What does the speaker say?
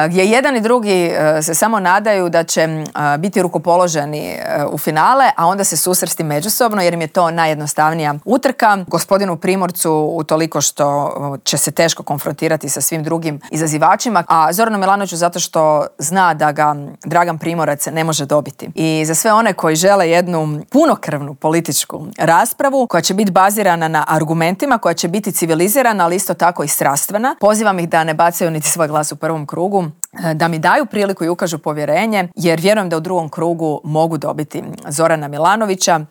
gdje jedan i drugi se samo nadaju da će biti rukopoloženi u finale, a onda se susresti međusobno jer im je to najjednostavnija utrka. Gospodinu Primorcu utoliko što će se teško konfrontirati sa svim drugim izazivačima, a Zoranu Milanoviću zato što zna da ga Dragan Primorac ne može dobiti. I za sve one koji žele jednu punokrvnu političku raspravu koja će biti bazirana na argumentima, koja će biti civilizirana, ali isto tako i strastvena, pozivam ih da ne bacaju niti svoj glas u prvom krugu, da mi daju priliku i ukažu povjerenje, jer vjerujem da u drugom krugu mogu dobiti Zorana Milanovića.